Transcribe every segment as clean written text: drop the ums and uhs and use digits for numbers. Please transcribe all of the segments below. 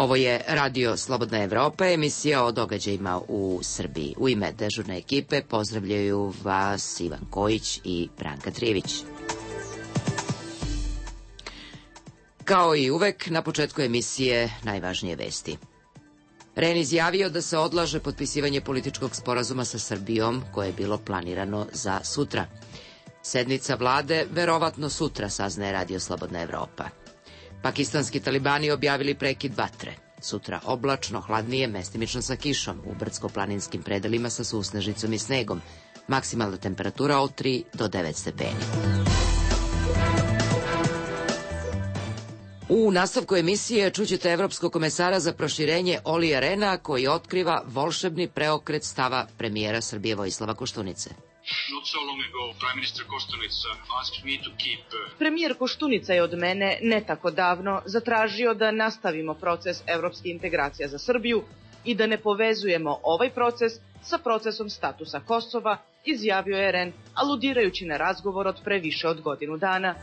Ovo je Radio Slobodna Evropa, emisija o događajima u Srbiji. U ime dežurne ekipe pozdravljaju vas Ivan Kojić i Branka Trijević. Kao i uvek, na početku emisije najvažnije vesti. REN izjavio da se odlaže potpisivanje političkog sporazuma sa Srbijom, koje je bilo planirano za sutra. Sednica vlade verovatno sutra, saznaje Radio Slobodna Evropa. Pakistanski talibani objavili prekid vatre. Sutra oblačno, hladnije, mestimično sa kišom, u brdsko-planinskim predelima sa susnežicom i snegom. Maksimalna temperatura od 3 do 9 stepeni. U nastavku emisije čućete evropskog komesara za proširenje Olija Rena, koji otkriva volšebni preokret stava premijera Srbije Vojislava Koštunice. Premijer Koštunica je od mene ne tako davno zatražio da nastavimo proces evropskih integracija za Srbiju i da ne povezujemo ovaj proces sa procesom statusa Kosova, izjavio je REN, aludirajući na razgovor od pre više od godinu dana.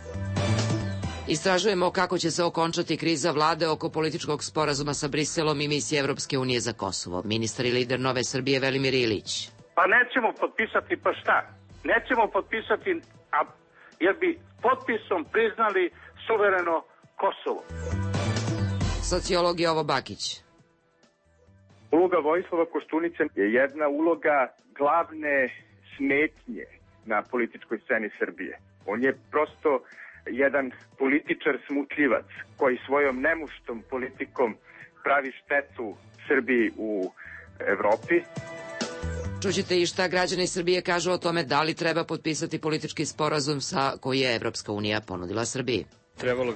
Istražujemo kako će se okončati kriza vlade oko političkog sporazuma sa Briselom i misije Evropske unije za Kosovo. Ministar i lider Nove Srbije Velimir Ilić. Pa nećemo potpisati, pa šta? Nećemo potpisati, jer bi potpisom priznali suvereno Kosovo. Sociolog Jovo Bakić. Uloga Vojislava Koštunice je jedna uloga glavne smetnje na političkoj sceni Srbije. On je prosto jedan političar smutljivac koji svojom nemuštom politikom pravi štetu Srbiji u Evropi. Čućete i šta građani Srbije kažu o tome da li treba potpisati politički sporazum koji je Evropska unija ponudila Srbiji. Trebalo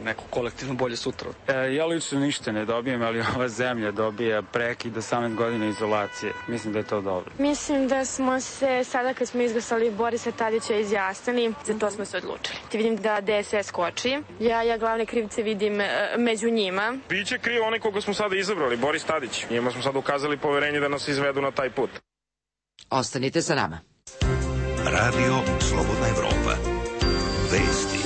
neko kolektivno bolje sutra. Ja lično ništa ne dobijem, ali ova zemlja dobija prekid 18 godina izolacije. Mislim da je to dobro. Mislim da smo se sada kad smo izglasali Borisa Tadića izjasnili, za to smo se odlučili. Ti vidim da DSS koči. Ja glavne krivce vidim među njima. Biće kriv onaj koga smo sada izabrali, Boris Tadić. Njima smo sada ukazali poverenje da nas izvedu na taj put. Ostanite sa nama. Radio Slobodna Evropa. Vesti.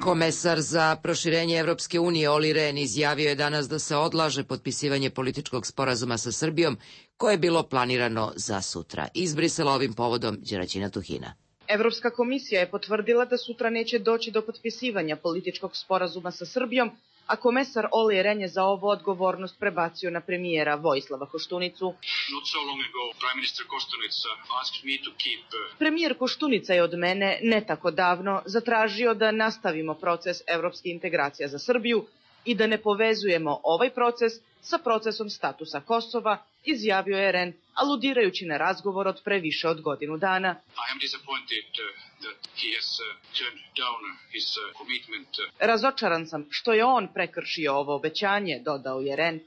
Komesar za proširenje Evropske unije Oli Ren izjavio je danas da se odlaže potpisivanje političkog sporazuma sa Srbijom, koje je bilo planirano za sutra. Iz Brisela ovim povodom Đeraćina Tuhina. Evropska komisija je potvrdila da sutra neće doći do potpisivanja političkog sporazuma sa Srbijom, a komesar Oli Ren je za ovo odgovornost prebacio na premijera Vojislava Koštunicu. Premijer Koštunica je od mene ne tako davno zatražio da nastavimo proces evropskih integracija za Srbiju i da ne povezujemo ovaj proces sa procesom statusa Kosova, izjavio je REN, aludirajući na razgovor od pre više od godinu dana. Razočaran sam što je on prekršio ovo obećanje, dodao je REN.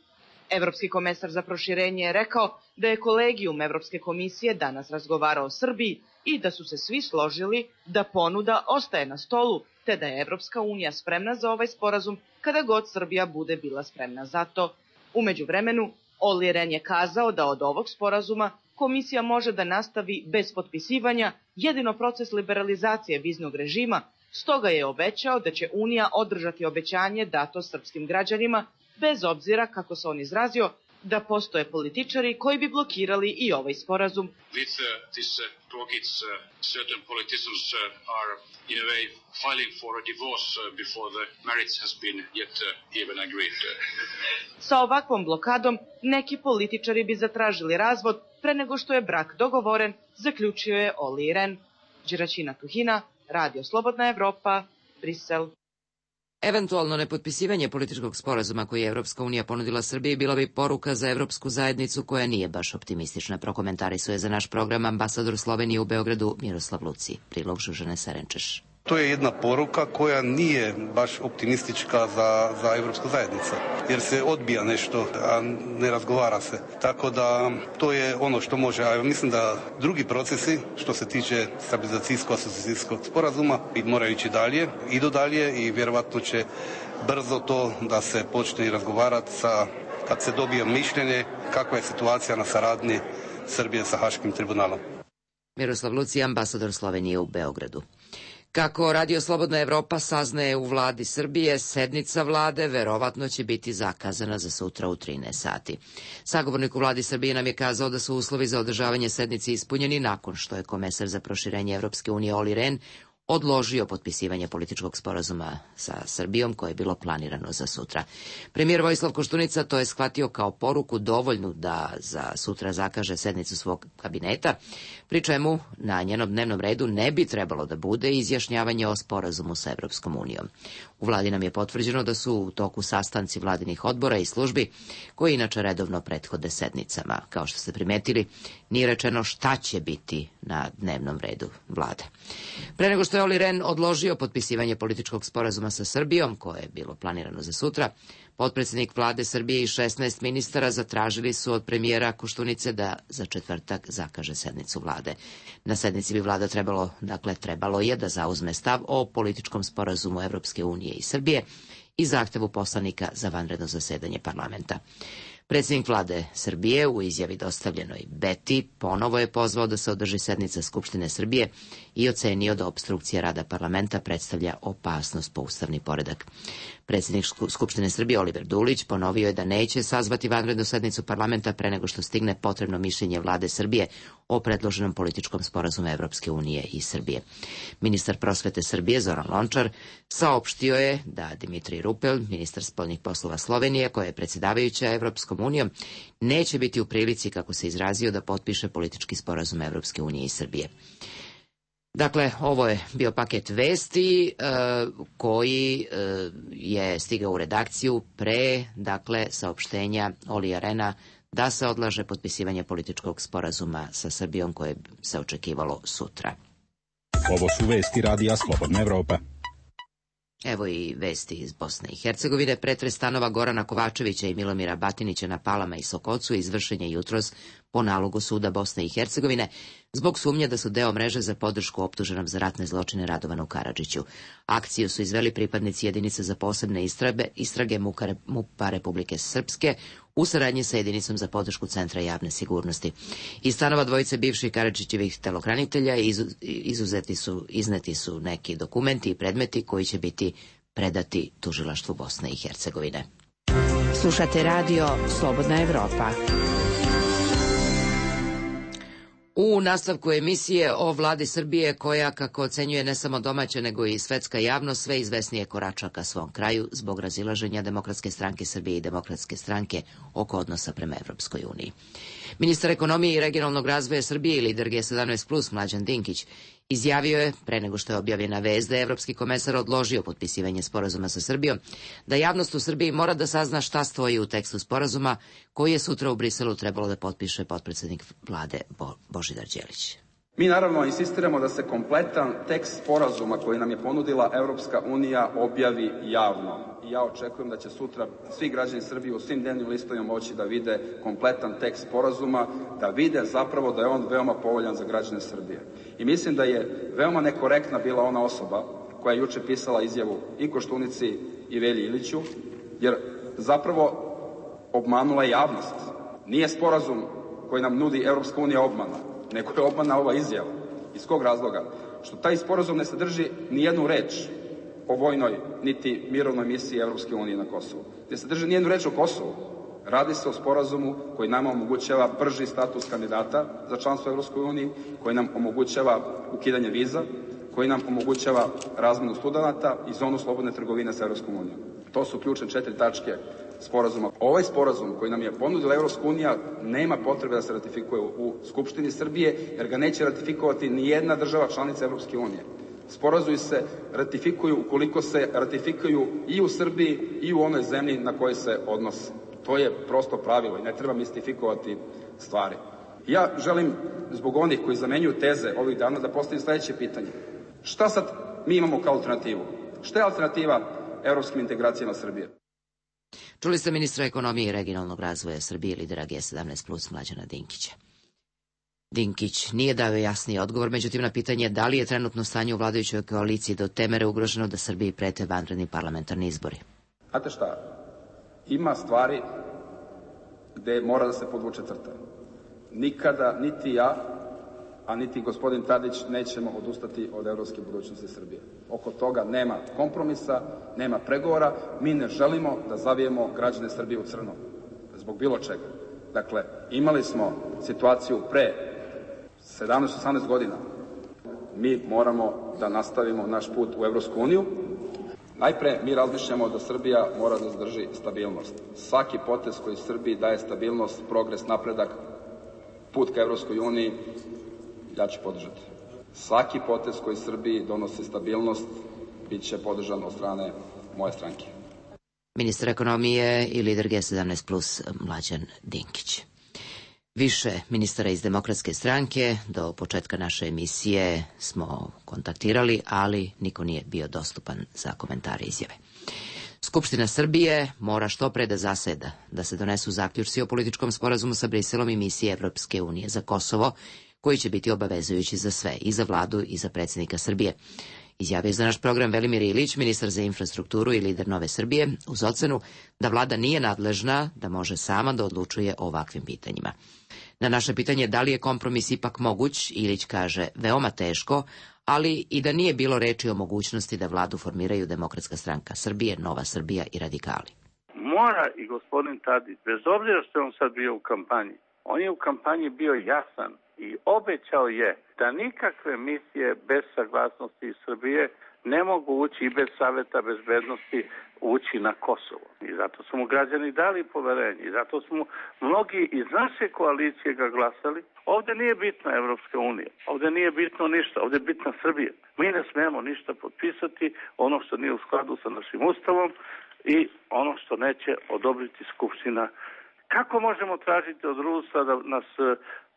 Evropski komesar za proširenje je rekao da je kolegijum Evropske komisije danas razgovarao o Srbiji i da su se svi složili da ponuda ostaje na stolu, te da je Evropska unija spremna za ovaj sporazum kada god Srbija bude bila spremna za to. U međuvremenu, Oli Ren je kazao da od ovog sporazuma komisija može da nastavi bez potpisivanja jedino proces liberalizacije viznog režima, stoga je obećao da će Unija održati obećanje dato srpskim građanima, bez obzira, kako se on izrazio, da postoje političari koji bi blokirali i ovaj sporazum. Sa ovakvom blokadom neki političari bi zatražili razvod pre nego što je brak dogovoren, zaključio je Oli Ren. Đeraćina Tuhina, Radio Slobodna Evropa, Brisel. Eventualno nepotpisivanje političkog sporazuma koji je Evropska unija ponudila Srbiji bila bi poruka za Evropsku zajednicu koja nije baš optimistična, prokomentarisuje za naš program ambasador Slovenije u Beogradu Miroslav Luci. Prilog Žužane Serenčeš. To je jedna poruka koja nije baš optimistička za Evropsku zajednicu, jer se odbija nešto, a ne razgovara se. Tako da to je ono što može, a mislim da drugi procesi što se tiče stabilizacijsko-asocijacijskog sporazuma moraju ići dalje, idu dalje i vjerovatno će brzo to da se počne razgovarati kad se dobije mišljenje kakva je situacija na saradnji Srbije sa Haškim tribunalom. Miroslav Luci, ambasador Slovenije u Beogradu. Kako Radio Slobodna Evropa saznaje u vladi Srbije, sednica vlade verovatno će biti zakazana za sutra u 13 sati. Sagovornik u vladi Srbije nam je kazao da su uslovi za održavanje sednice ispunjeni nakon što je komesar za proširenje Evropske unije Olli Rehn odložio potpisivanje političkog sporazuma sa Srbijom koje je bilo planirano za sutra. Premijer Vojislav Koštunica to je shvatio kao poruku dovoljnu da za sutra zakaže sednicu svog kabineta, pri čemu na njenom dnevnom redu ne bi trebalo da bude izjašnjavanje o sporazumu sa Evropskom unijom. U vladi nam je potvrđeno da su u toku sastanci vladinih odbora i službi koji inače redovno prethode sednicama. Kao što ste primetili, nije rečeno šta će biti na dnevnom redu vlade. Pre nego što je Olli Rehn odložio potpisivanje političkog sporazuma sa Srbijom, koje je bilo planirano za sutra, potpredsednik vlade Srbije i 16 ministara zatražili su od premijera Koštunice da za četvrtak zakaže sednicu vlade. Na sednici bi vlada trebalo je da zauzme stav o političkom sporazumu Evropske unije i Srbije i zahtevu poslanika za vanredno zasedanje parlamenta. Predsjednik vlade Srbije u izjavi dostavljenoj Beti ponovo je pozvao da se održi sednica Skupštine Srbije i ocenio da opstrukcija rada parlamenta predstavlja opasnost po ustavni poredak. Predsjednik Skupštine Srbije Oliver Dulić ponovio je da neće sazvati vanrednu sednicu parlamenta pre nego što stigne potrebno mišljenje vlade Srbije o predloženom političkom sporazumu Evropske unije i Srbije. Ministar prosvete Srbije Zoran Lončar saopštio je da Dimitrij Rupel, ministar spoljnih poslova Slovenije, koja je predsjedavajuća Evropskom unijom, neće biti u prilici, kako se izrazio, da potpiše politički sporazum Evropske unije i Srbije. Dakle, ovo je bio paket vesti koji je stigao u redakciju pre, saopštenja Ollija Rehna da se odlaže potpisivanje političkog sporazuma sa Srbijom koje se očekivalo sutra. Ovo su vesti Radija Slobodna Evropa. Evo i vesti iz Bosne i Hercegovine. Pretres stanova Gorana Kovačevića i Milomira Batinića na Palama i Sokocu izvršen je jutros po nalogu suda Bosne i Hercegovine zbog sumnje da su deo mreže za podršku optuženom za ratne zločine Radovanu Karadžiću. Akciju su izveli pripadnici jedinice za posebne istrage MUP-a Republike Srpske u saradnji sa jedinicom za podršku Centra javne sigurnosti. Iz stanova dvojice bivših Karadžićevih telohranitelja izneti su neki dokumenti i predmeti koji će biti predati tužilaštvu Bosne i Hercegovine. Slušate radio Slobodna Evropa. U nastavku emisije o vladi Srbije koja, kako ocenjuje ne samo domaća nego i svetska javnost, sve izvesnije korača ka svom kraju zbog razilaženja Demokratske stranke Srbije i Demokratske stranke oko odnosa prema Evropskoj uniji. Ministar ekonomije i regionalnog razvoja Srbije i lider G17+, Mlađan Dinkić, izjavio je, pre nego što je objavljena vest da je evropski komesar odložio potpisivanje sporazuma sa Srbijom, da javnost u Srbiji mora da sazna šta stoji u tekstu sporazuma koji je sutra u Briselu trebalo da potpiše potpredsednik vlade Božidar Đelić. Mi naravno insistiramo da se kompletan tekst sporazuma koji nam je ponudila Evropska unija objavi javno. I ja očekujem da će sutra svi građani Srbije u svim dnevnim listovima moći da vide kompletan tekst sporazuma, da vide zapravo da je on veoma povoljan za građane Srbije. I mislim da je veoma nekorektna bila ona osoba koja je juče pisala izjavu i Koštunici i Velji Iliću, jer zapravo obmanula je javnost. Nije sporazum koji nam nudi Evropska unija obmana, nego je obmana ova izjava. Iz kog razloga? Što taj sporazum ne sadrži ni jednu reč o vojnoj niti mirovnoj misiji Evropske unije na Kosovu. Ne sadrži ni jednu reč o Kosovu. Radi se o sporazumu koji nama omogućava brži status kandidata za članstvo u Evropskoj uniji, koji nam omogućava ukidanje viza, koji nam omogućava razmenu studenata i zonu slobodne trgovine sa Evropskom unijom. To su ključne 4 tačke sporazuma. Ovaj sporazum koji nam je ponudila Evropska unija nema potrebe da se ratifikuje u Skupštini Srbije, jer ga neće ratifikovati ni jedna država članica Evropske unije. Sporazumi se ratifikuju ukoliko se ratifikuju i u Srbiji i u onoj zemlji na kojoj se odnose. To je prosto pravilo i ne treba mistifikovati stvari. Ja želim, zbog onih koji zamenjuju teze ovih dana, da postavim sledeće pitanje. Šta sad mi imamo kao alternativu? Šta je alternativa evropskim integracijama Srbije? Čuli ste ministra ekonomije i regionalnog razvoja Srbije, lidera G17+, Mlađana Dinkića. Dinkić nije dao jasni odgovor, međutim na pitanje da li je trenutno stanje u vladajućoj koaliciji do te mere ugroženo da Srbiji prete vanredni parlamentarni izbori. Znate šta? Ima stvari gde mora da se podvuče crta. Nikada, niti ja, a niti gospodin Tadić nećemo odustati od evropske budućnosti Srbije. Oko toga nema kompromisa, nema pregovora. Mi ne želimo da zavijemo građane Srbije u crno zbog bilo čega. Dakle, imali smo situaciju pre 17-18 godina. Mi moramo da nastavimo naš put u Evropsku uniju. Najpre, mi razmišljamo da Srbija mora da zadrži stabilnost. Svaki potez koji Srbiji daje stabilnost, progres, napredak, put ka Evropskoj uniji, ja ću podržati. Svaki potez koji Srbiji donosi stabilnost, bit će podržan od strane moje stranke. Ministar ekonomije i lider G17 plus Mlađan Dinkić. Više ministara iz Demokratske stranke do početka naše emisije smo kontaktirali, ali niko nije bio dostupan za komentare i izjave. Skupština Srbije mora što pre da zaseda, da se donesu zaključci o političkom sporazumu sa Briselom i misije Evropske unije za Kosovo, koji će biti obavezujući za sve, i za vladu i za predsjednika Srbije. Izjavio za naš program Velimir Ilić, ministar za infrastrukturu i lider Nove Srbije, uz ocenu da vlada nije nadležna, da može sama da odlučuje o ovakvim pitanjima. Na naše pitanje da li je kompromis ipak moguć, Ilić kaže veoma teško, ali i da nije bilo reči o mogućnosti da vladu formiraju Demokratska stranka Srbije, Nova Srbija i radikali. Mora i gospodin Tadić, bez obzira što je on sad bio u kampanji, on je u kampanji bio jasan i obećao je da nikakve misije bez saglasnosti Srbije ne mogu ući i bez Saveta bezbednosti ući na Kosovo. I zato su mu građani dali poverenje i zato smo mnogi iz naše koalicije ga glasali. Ovde nije bitna Evropska unija, ovde nije bitno ništa, ovde je bitna Srbija. Mi ne smemo ništa potpisati, ono što nije u skladu sa našim ustavom i ono što neće odobriti Skupština. Kako možemo tražiti od Rusa da nas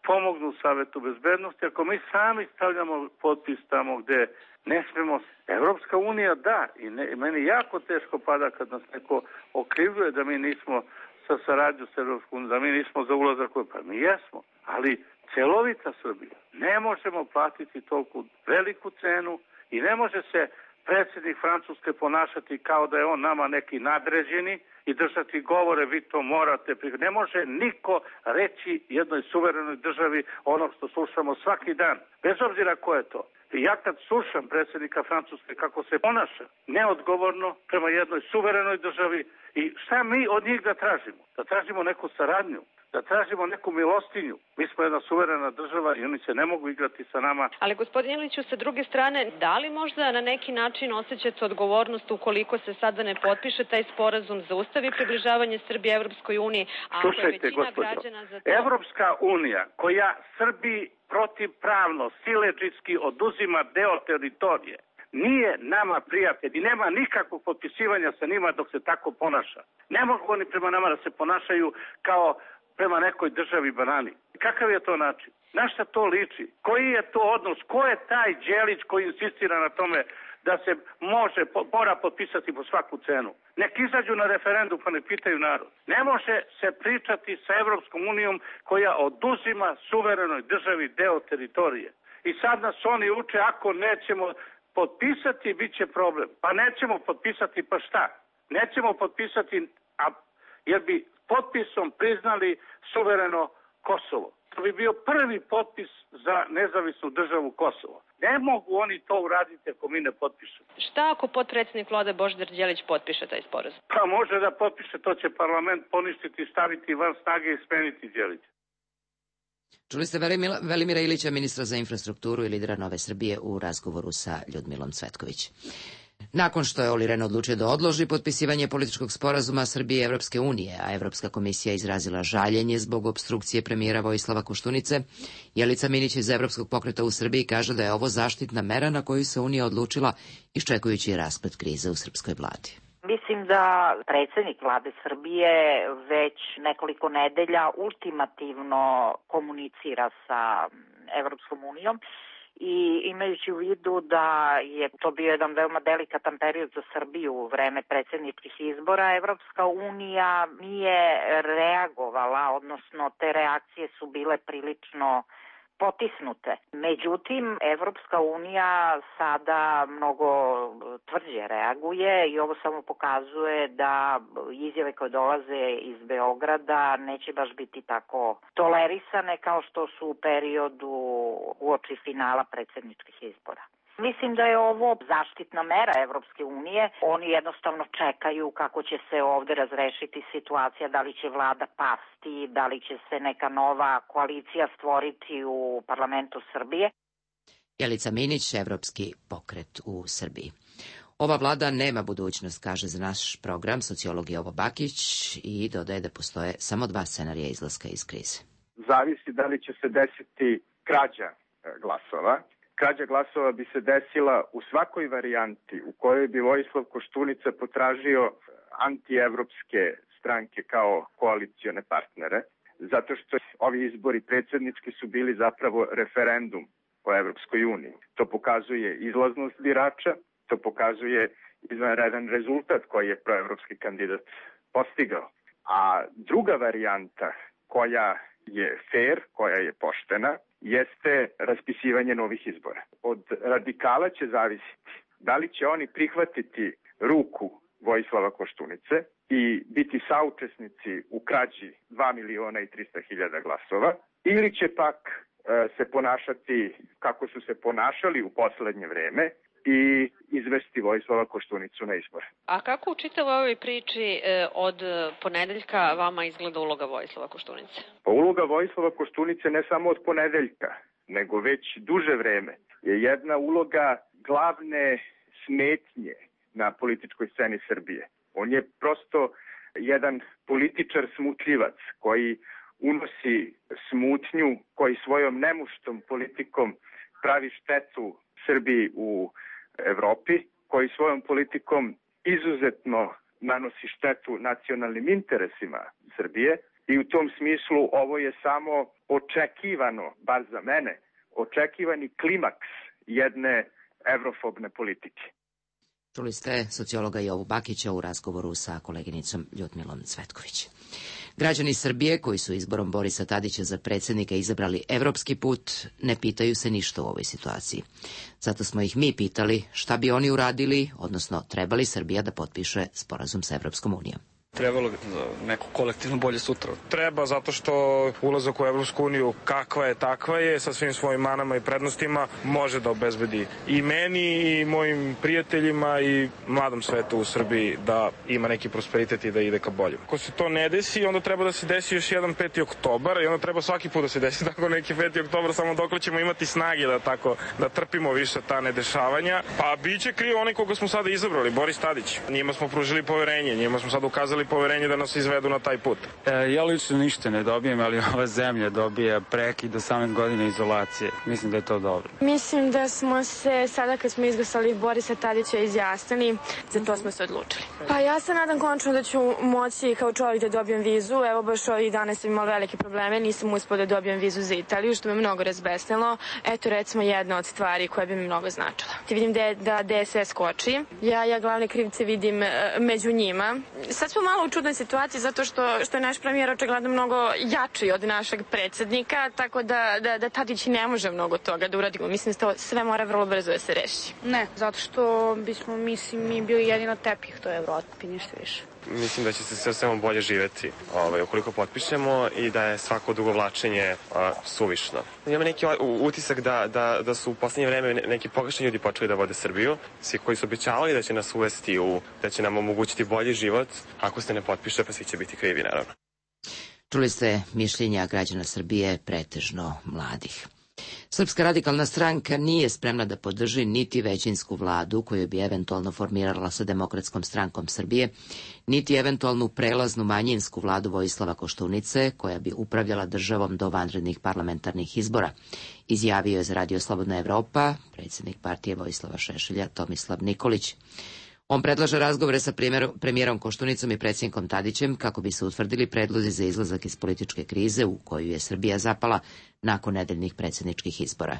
pomognu u Savetu bezbednosti ako mi sami stavljamo potpis tamo gde ne smemo? Evropska unija da, i meni jako teško pada kad nas neko okrivljuje da mi nismo sa saradnju s Evropskom unijom, da mi nismo za ulazak, pa mi jesmo, ali celovita Srbija. Ne možemo platiti toliko veliku cenu i ne može se predsjednik Francuske ponašati kao da je on nama neki nadređeni i držati govore, vi to morate. Ne može niko reći jednoj suverenoj državi ono što slušamo svaki dan, bez obzira ko je to. I ja kad slušam predsjednika Francuske kako se ponaša neodgovorno prema jednoj suverenoj državi, i šta mi od njih da tražimo? Da tražimo neku saradnju, da tražimo neku milostinju. Mi smo jedna suverena država i oni se ne mogu igrati sa nama. Ali gospodin Iliću, sa druge strane, da li možda na neki način osjećate odgovornost ukoliko se sada ne potpiše taj sporazum, zaustavi približavanje Srbije Evropskoj uniji, a ako je većina građana za to? Evropska unija koja Srbiji protivpravno, siledžijski oduzima deo teritorije, nije nama prijatelj i nema nikakvog potpisivanja sa njima dok se tako ponaša. Ne mogu oni prema nama da se ponašaju kao prema nekoj državi banani. Kakav je to način? Na šta to liči? Koji je to odnos? Ko je taj Đelić koji insistira na tome da se mora potpisati po svaku cenu? Nek izađu na referendum pa ne pitaju narod. Ne može se pričati sa Evropskom unijom koja oduzima suverenoj državi deo teritorije. I sad nas oni uče, ako nećemo potpisati, bit će problem. Pa nećemo potpisati, pa šta? Nećemo potpisati, jer bi potpisom priznali suvereno Kosovo. To bi bio prvi potpis za nezavisnu državu Kosovo. Ne mogu oni to uraditi ako mi ne potpišemo. Šta ako potpredsjednik vlade Božidar Đelić potpiše taj sporazum? Pa može da potpiše, to će parlament poništiti, staviti van snage i smeniti Đelića. Čuli ste Velimira Ilića, ministra za infrastrukturu i lidera Nove Srbije u razgovoru sa Ljudmilom Cvetković. Nakon što je Olli Rehn odlučio da odloži potpisivanje političkog sporazuma Srbije i Evropske unije, a Evropska komisija izrazila žaljenje zbog opstrukcije premijera Vojislava Koštunice, Jelica Minić iz Evropskog pokreta u Srbiji kaže da je ovo zaštitna mera na koju se Unija odlučila iščekujući rasplet krize u srpskoj vladi. Mislim da predsjednik vlade Srbije već nekoliko nedelja ultimativno komunicira sa Evropskom unijom i imajući u vidu da je to bio jedan veoma delikatan period za Srbiju u vreme predsjedničkih izbora, Evropska unija nije reagovala, odnosno te reakcije su bile prilično potisnute. Međutim, Evropska unija sada mnogo tvrđe reaguje i ovo samo pokazuje da izjave koje dolaze iz Beograda neće baš biti tako tolerisane kao što su u periodu uoči finala predsjedničkih izbora. Mislim da je ovo zaštitna mera Evropske unije. Oni jednostavno čekaju kako će se ovde razrešiti situacija, da li će vlada pasti, da li će se neka nova koalicija stvoriti u parlamentu Srbije. Jelica Minić, Evropski pokret u Srbiji. Ova vlada nema budućnost, kaže za naš program sociolog Jovo Bakić i dodaje da postoje samo dva scenarija izlaska iz krize. Zavisi da li će se desiti krađa glasova. Krađa glasova bi se desila u svakoj varijanti u kojoj bi Vojislav Koštunica potražio antievropske stranke kao koalicione partnere, zato što ovi izbori predsjednički su bili zapravo referendum o Evropskoj uniji. To pokazuje izlaznost birača, to pokazuje izvanredan rezultat koji je proevropski kandidat postigao. A druga varijanta koja je fair, koja je poštena, jeste raspisivanje novih izbora. Od radikala će zavisiti da li će oni prihvatiti ruku Vojislava Koštunice i biti saučesnici u krađi 2.300.000 glasova, ili će pak se ponašati kako su se ponašali u poslednje vreme i izvesti Vojislava Koštunicu na izbore. A kako u čitavoj ovoj priči od ponedeljka vama izgleda uloga Vojislava Koštunice? Pa uloga Vojislava Koštunice ne samo od ponedeljka, nego već duže vreme je jedna uloga glavne smetnje na političkoj sceni Srbije. On je prosto jedan političar smutljivac koji unosi smutnju, koji svojom nemuštom politikom pravi štetu Srbiji u Evropi, koji svojom politikom izuzetno nanosi štetu nacionalnim interesima Srbije i u tom smislu ovo je samo očekivano, bar za mene, očekivani klimaks jedne evrofobne politike. Čuli ste sociologa Jovu Bakića u razgovoru sa koleginicom Ljudmilom Cvetković. Građani Srbije koji su izborom Borisa Tadića za predsjednika izabrali evropski put ne pitaju se ništa u ovoj situaciji. Zato smo ih mi pitali šta bi oni uradili, odnosno trebali Srbija da potpiše sporazum sa Evropskom unijom. Trebalo bi neko kolektivno bolje sutra. Treba zato što ulazak u Evropsku uniju kakva je takva je, sa svim svojim manama i prednostima, može da obezbedi i meni i mojim prijateljima i mladom svetu u Srbiji da ima neki prosperitet i da ide ka boljem. Ako se to ne desi, onda treba da se desi još jedan 5. oktobar i onda treba svaki put da se desi tako neki 5. oktobar, samo dok ćemo imati snage da trpimo više ta nedešavanja. Pa biće kriv onaj koga smo sada izabrali, Boris Tadić. Njima smo pružili poverenje, njima smo sada ukazali poverenje da nas izvedu na taj put. Ja lično ništa ne dobijem, ali ova zemlja dobija prekid 18 godina izolacije. Mislim da je to dobro. Mislim da smo se sada kad smo izglasali Borisa Tadića izjasnili, za to smo se odlučili. Pa ja se nadam konačno da ću moći kao čovjek da dobijem vizu. Evo baš ovih dana sam imala velike probleme, nisam uspela da dobijem vizu za Italiju, što me mnogo razbesnilo. Eto recimo jedna od stvari koja bi mi mnogo značila. Vidim da DSS koči. Ja glavne krivce vidim među njima. Sad smo malo u čudnoj situaciji zato što je naš premijer očigledno mnogo jači od našeg predsjednika, tako da Tadić ne može mnogo toga da uradimo. Mislim da to sve mora vrlo brzo da se reši. Ne, zato što bismo mi bili jedino tepih to je Evropi, ništa više. Mislim da će se sve bolje živeti ukoliko potpišemo i da je svako dugovlačenje suvišno. Imam neki utisak da su u poslednje vreme neki pogrešni ljudi počeli da vode Srbiju. Svi koji su obećavali da će nas uvesti da će nam omogućiti bolji život, ako se ne potpiše, pa svi će biti krivi, naravno. Čuli ste mišljenja građana Srbije, pretežno mladih. Srpska radikalna stranka nije spremna da podrži niti većinsku vladu koju bi eventualno formirala sa Demokratskom strankom Srbije, niti eventualnu prelaznu manjinsku vladu Vojislava Koštunice koja bi upravljala državom do vanrednih parlamentarnih izbora, izjavio je za Radio Slobodna Evropa predsjednik partije Vojislava Šešelja Tomislav Nikolić. On predlaže razgovore sa premijerom Koštunicom i predsjednikom Tadićem kako bi se utvrdili predlozi za izlazak iz političke krize u koju je Srbija zapala nakon nedeljnih predsjedničkih izbora.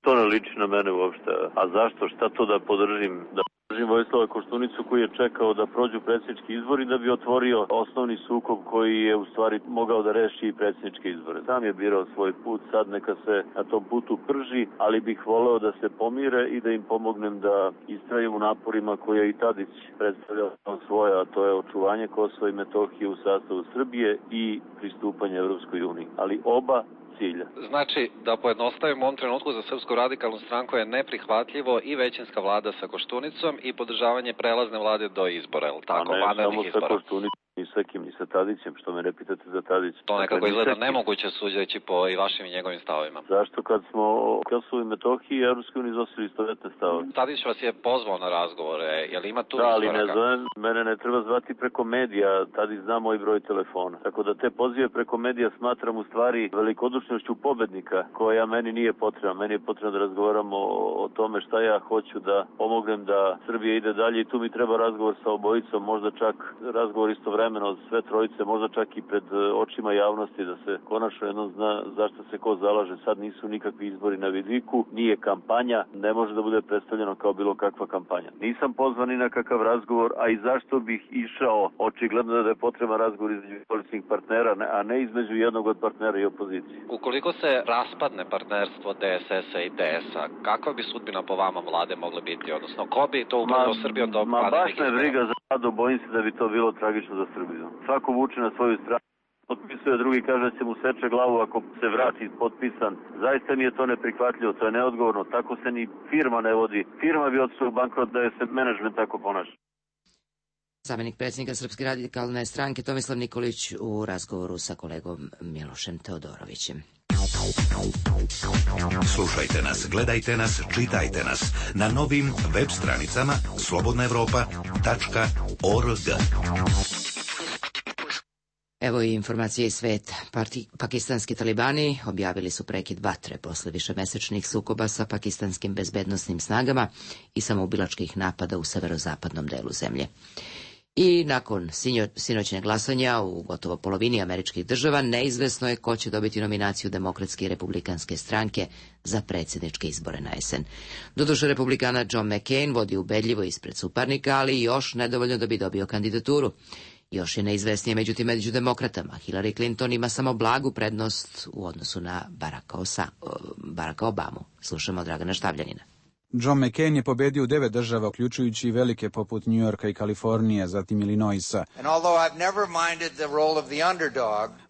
To ne liči na mene uopšte. A zašto? Šta to da podržim? Da Vojislava Koštunicu koji je čekao da prođu predsjednički izbori da bi otvorio osnovni sukob koji je u stvari mogao da reši i predsjedničke izbore. Sam je birao svoj put, sad neka se na tom putu prži, ali bih voleo da se pomire i da im pomognem da istraju u naporima koje je i Tadić predstavljao svoje, a to je očuvanje Kosova i Metohije u sastavu Srbije i pristupanje Evropskoj uniji. Ali oba cilja. Znači, da pojednostavimo u ovom trenutku za Srpsku radikalnu stranku je neprihvatljivo i većinska vlada sa Koštunicom i podržavanje prelazne vlade do izbora, je li tako? A ne samo sa Koštunicom, ni sa kim, ni sa Tadićem, što me ne pitate za Tadić. To nekako izgleda nemoguće suđeći po i vašim i njegovim stavovima. Zašto kad smo u Kosovu i Metohiji i Evropskoj uniji iznosili istovetne stavove? Tadić vas je pozvao na razgovore, je li ima tu izvoraka? Da, ali izvoraka? ne zovem, mene ne treba zvati preko medija, Tadić zna moj broj telefona. Tako da te pozive preko medija smatram u stvari velikodušnošću pobednika, koja meni nije potrebna. Meni je potrebno da razgovaramo o tome šta ja hoću da pomognem da Srbija ide dalje i tu mi treba razgovor sa obojicom, možda čak razgovor istovremeno od sve trojice, možda čak i pred očima javnosti da se konačno jednom zna zašto se ko zalaže. Sad nisu nikakvi izbori na vidiku, nije kampanja, ne može da bude predstavljeno kao bilo kakva kampanja. Nisam pozvan ni na kakav razgovor, a i zašto bih išao, očigledno da je potreban razgovor između koalicijskih partnera, a ne između jednog od partnera i opozicije. Ukoliko se raspadne partnerstvo DSS-a i DS-a, kakva bi sudbina po vama vlade mogla biti? Odnosno, ko bi to upravo Srbijom do vanrednih izbora? Ma baš me briga za vladu, bojim se da bi to bilo tragično za Srbiju. Svako vuče na svoju stranu, potpisuje, drugi kaže da će mu seče glavu ako se vrati potpisan. Zaista mi je to neprihvatljivo, to je neodgovorno, tako se ni firma ne vodi. Firma bi otišla u bankrot da je se menadžment tako ponaša. Zamenik predsjednika Srpske radikalne stranke Tomislav Nikolić u razgovoru sa kolegom Milošem Teodorovićem. Slušajte nas, gledajte nas, čitajte nas na novim web stranicama slobodnaevropa.org. Evo i informacije iz sveta. Pakistanski talibani objavili su prekid vatre posle višemesečnih sukoba sa pakistanskim bezbednosnim snagama i samoubilačkih napada u severozapadnom delu zemlje. I nakon sinoćnjeg glasanja u gotovo polovini američkih država neizvesno je ko će dobiti nominaciju Demokratske i Republikanske stranke za predsjedničke izbore na jesen. Doduše, republikana John McCain vodi ubedljivo ispred suparnika, ali još nedovoljno da bi dobio kandidaturu. Još je neizvesnije međutim među demokratama. Hillary Clinton ima samo blagu prednost u odnosu na Baracka Obamu. Slušamo Dragana Štavljanina. John McCain je pobedio u 9 država, uključujući i velike poput New Yorka i Kalifornije, zatim Illinoisa.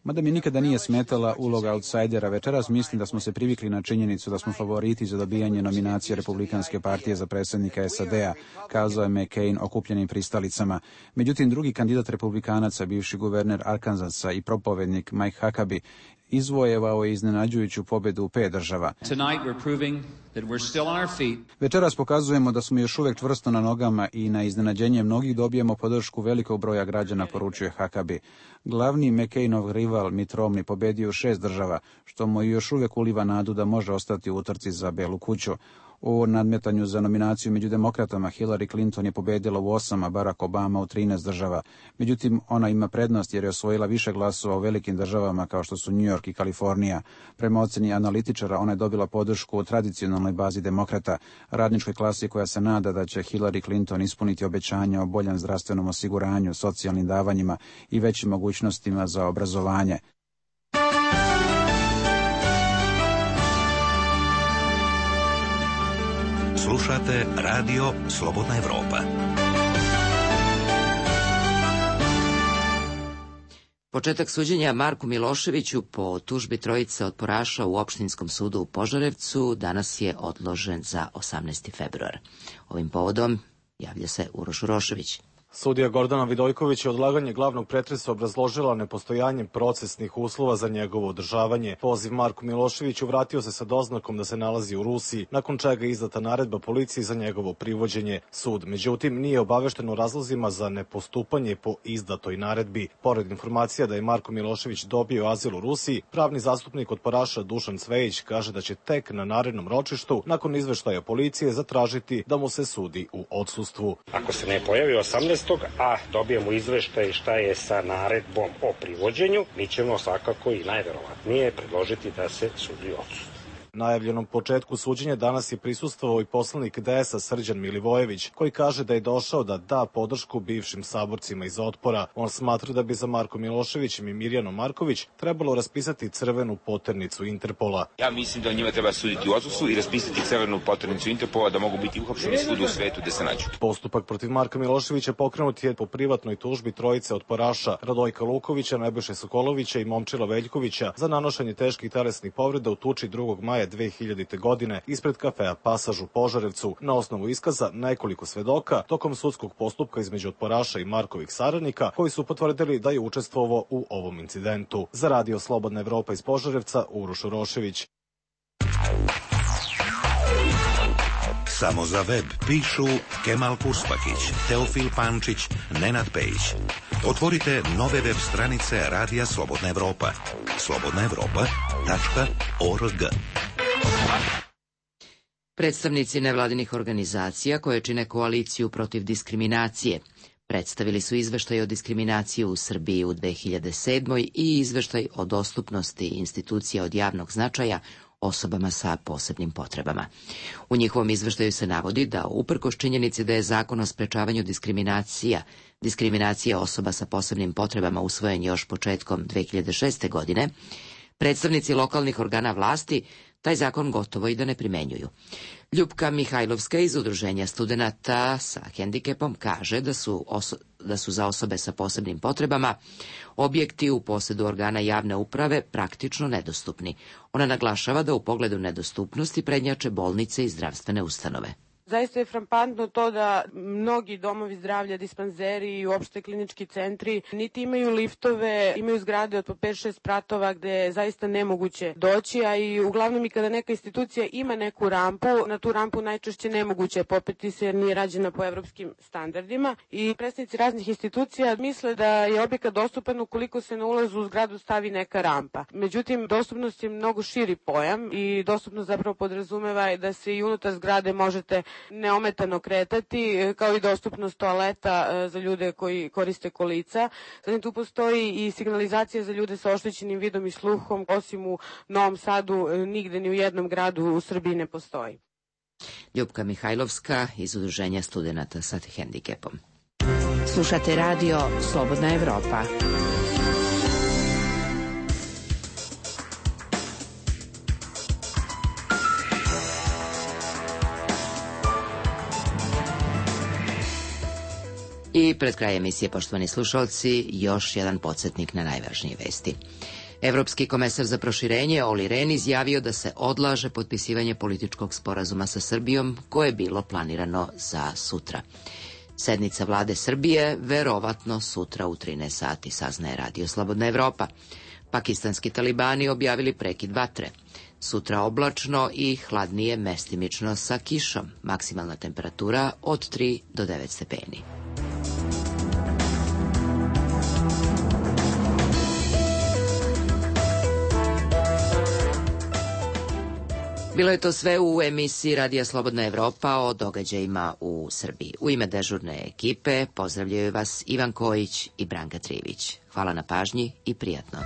Mada mi nikada nije smetala uloga outsidera, večeras mislim da smo se privikli na činjenicu da smo favoriti za dobijanje nominacije Republikanske partije za predsjednika SAD-a, kazao je McCain okupljenim pristalicama. Međutim, drugi kandidat republikanaca, bivši guverner Arkansasa i propovednik Mike Huckabee, izvojevao je iznenađujuću pobedu u 5 država. Večeras pokazujemo da smo još uvijek čvrsto na nogama i na iznenađenje mnogih dobijemo podršku velikog broja građana, poručuje Huckabee. Glavni McCainov rival Mitt Romney pobedio u 6 država, što mu još uvijek uliva nadu da može ostati u utrci za Belu kuću. U nadmetanju za nominaciju među demokratama Hillary Clinton je pobedila u 8, a Barack Obama u 13 država. Međutim, ona ima prednost jer je osvojila više glasova u velikim državama kao što su New York i Kalifornija. Prema oceni analitičara, ona je dobila podršku u tradicionalnoj bazi demokrata, radničkoj klasi koja se nada da će Hillary Clinton ispuniti obećanja o boljem zdravstvenom osiguranju, socijalnim davanjima i većim mogućnostima za obrazovanje. Slušate Radio Slobodna Evropa. Početak suđenja Marku Miloševiću po tužbi trojice otporaša u Opštinskom sudu u Požarevcu danas je odložen za 18. februar. Ovim povodom javlja se Uroš Urošević. Sudija Gordana Vidojković je odlaganje glavnog pretresa obrazložila nepostojanjem procesnih uslova za njegovo održavanje. Poziv Marku Miloševiću vratio se sa doznakom da se nalazi u Rusiji, nakon čega je izdata naredba policiji za njegovo privođenje. Sud, međutim, nije obavešten o razlozima za nepostupanje po izdatoj naredbi. Pored informacija da je Marko Milošević dobio azil u Rusiji, pravni zastupnik otporaša Dušan Cvejić kaže da će tek na narednom ročištu, nakon izveštaja policije, zatražiti da mu se sudi u odsustvu. Ako se ne pojavi 18. a dobijemo izveštaj šta je sa naredbom o privođenju, mi ćemo svakako i najverovatnije predložiti da se sudi odsustvo. Najavljenom početku suđenja danas je prisustvovao i poslanik DS-a Srđan Milivojević, koji kaže da je došao da da podršku bivšim saborcima iz Otpora. On smatra da bi za Markom Miloševićem i Mirjanom Marković trebalo raspisati crvenu poternicu Interpola. Ja mislim da njima treba suditi u odsusu i raspisati crvenu poternicu Interpola da mogu biti uhapšeni svuda u svetu gde se nađu. Postupak protiv Marka Miloševića pokrenut je po privatnoj tužbi trojice otporaša Radojka Lukovića, Nebojše Sokolovića i Momčila Veljkovića za nanošenje teških telesnih povreda u tuči 2. maja 2000. godine ispred kafea Pasaž u Požarevcu. Na osnovu iskaza nekoliko svedoka tokom sudskog postupka između otporaša i Markovih saradnika koji su potvrdili da je učestvovao u ovom incidentu. Za Radio Slobodna Evropa iz Požarevca, Uroš Urošević. Samo za web pišu Kemal Kuspakić, Teofil Pančić, Nenad Pejić. Otvorite nove web stranice Radija Slobodna Evropa. slobodnaevropa.org. Predstavnici nevladinih organizacija koje čine koaliciju protiv diskriminacije predstavili su izveštaj o diskriminaciji u Srbiji u 2007. i izveštaj o dostupnosti institucija od javnog značaja osobama sa posebnim potrebama. U njihovom izveštaju se navodi da, uprkos činjenici da je Zakon o sprečavanju diskriminacije osoba sa posebnim potrebama usvojen još početkom 2006. godine, predstavnici lokalnih organa vlasti taj zakon gotovo i da ne primenjuju. Ljupka Mihajlovska iz Udruženja studenata sa hendikepom kaže da su za osobe sa posebnim potrebama objekti u posedu organa javne uprave praktično nedostupni. Ona naglašava da u pogledu nedostupnosti prednjače bolnice i zdravstvene ustanove. Zaista je frampantno to da mnogi domovi zdravlja, dispanzeri i uopšte klinički centri niti imaju liftove, imaju zgrade od po 5-6 spratova gde je zaista nemoguće doći, a i uglavnom i kada neka institucija ima neku rampu, na tu rampu najčešće nemoguće je popeti se jer nije rađena po evropskim standardima i predstavnici raznih institucija misle da je objekat dostupan ukoliko se na ulazu u zgradu stavi neka rampa. Međutim, dostupnost je mnogo širi pojam i dostupnost zapravo podrazumeva da se i unutar zgrade možete neometano kretati, kao i dostupnost toaleta za ljude koji koriste kolica. Zatim tu postoji i signalizacija za ljude sa oštećenim vidom i sluhom, osim u Novom Sadu, nigde ni u jednom gradu u Srbiji ne postoji. Ljupka Mihajlovska iz Udruženja studenata sa hendikepom. Slušate radio Slobodna Evropa. I pred kraj emisije, poštovani slušalci, još jedan podsjetnik na najvažnije vesti. Evropski komesar za proširenje Olli Rehn izjavio da se odlaže potpisivanje političkog sporazuma sa Srbijom koje je bilo planirano za sutra. Sednica vlade Srbije verovatno sutra u 13 sati, saznaje Radio Slobodna Evropa. Pakistanski talibani objavili prekid vatre. Sutra oblačno i hladnije mestimično sa kišom. Maksimalna temperatura od 3 do 9 stepeni. Bilo je to sve u emisiji Radija Slobodna Evropa o događajima u Srbiji. U ime dežurne ekipe pozdravljaju vas Ivan Kojić i Branka Trivić. Hvala na pažnji i prijatno.